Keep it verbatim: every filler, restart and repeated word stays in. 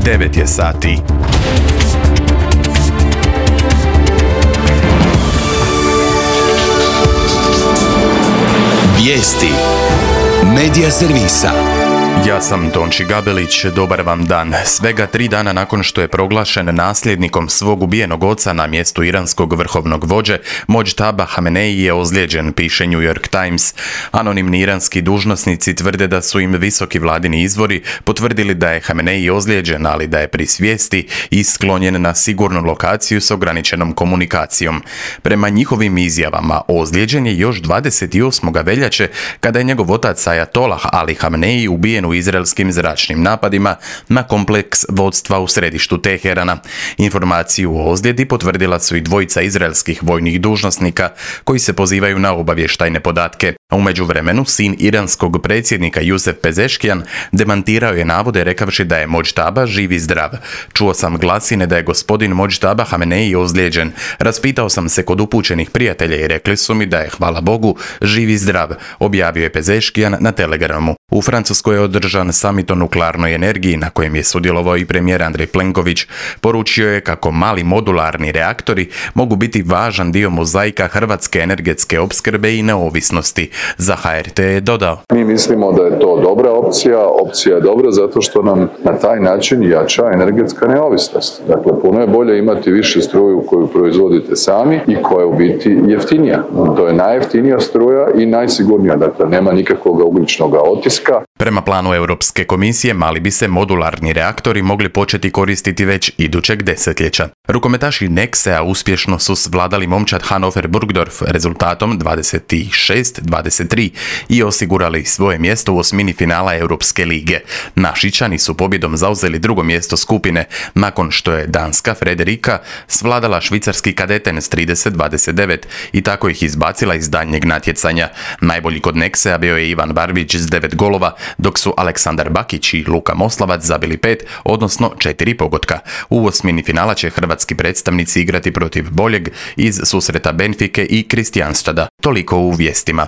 devet je sati. Vijesti Medija servisa. Ja sam Tonči Gabelić, dobar vam dan. Svega tri dana nakon što je proglašen nasljednikom svog ubijenog oca na mjestu iranskog vrhovnog vođe, Mojtaba Hamenei je ozlijeđen, piše New York Times. Anonimni iranski dužnosnici tvrde da su im visoki vladini izvori potvrdili da je Hamenei ozlijeđen, ali da je pri svijesti i sklonjen na sigurnu lokaciju s ograničenom komunikacijom. Prema njihovim izjavama, ozlijeđen je još dvadeset osmog veljače kada je njegov otac Ajatolah Ali Hamenei ubijen u izraelskim zračnim napadima na kompleks vodstva u središtu Teherana. Informaciju o ozljedi potvrdila su i dvojica izraelskih vojnih dužnosnika koji se pozivaju na obavještajne podatke. A u međuvremenu sin iranskog predsjednika Jusef Pezeškijan demantirao je navode rekavši da je Mojtaba živ i zdrav. Čuo sam glasine da je gospodin Mojtaba Hamenei ozlijeđen. Raspitao sam se kod upućenih prijatelja i rekli su mi da je, hvala Bogu, živ i zdrav, objavio je Pezeškijan na Telegramu. U Francuskoj je održan samit o nuklearnoj energiji na kojem je sudjelovao i premijer Andrej Plenković. Poručio je kako mali modularni reaktori mogu biti važan dio mozaika hrvatske energetske opskrbe i neovisnosti. Za H R T je dodao: Mi mislimo da je to dobra opcija, opcija je dobra zato što nam na taj način jača energetska neovisnost. Dakle, puno je bolje imati više struju koju proizvodite sami i koja je u biti jeftinija. To je najjeftinija struja i najsigurnija, dakle nema nikakvog ugljičnog otiska. Prema planu Europske komisije, mali bi se modularni reaktori mogli početi koristiti već idućeg desetljeća. Rukometaši Nexea uspješno su svladali momčad Hannover Burgdorf rezultatom dvadeset šest dvadeset tri i osigurali svoje mjesto u osmini finala Europske lige. Našičani su pobjedom zauzeli drugo mjesto skupine nakon što je danska Frederika svladala švicarski kadeten s trideset dvadeset devet i tako ih izbacila iz daljnjeg natjecanja. Najbolji kod Nexea bio je Ivan Barbić s devet golova, dok su Aleksandar Bakić i Luka Moslavac zabili pet, odnosno četiri pogotka. U osmini finala će hrvatski predstavnici igrati protiv boljeg iz susreta Benfike i Kristijanstada. Toliko u vijestima.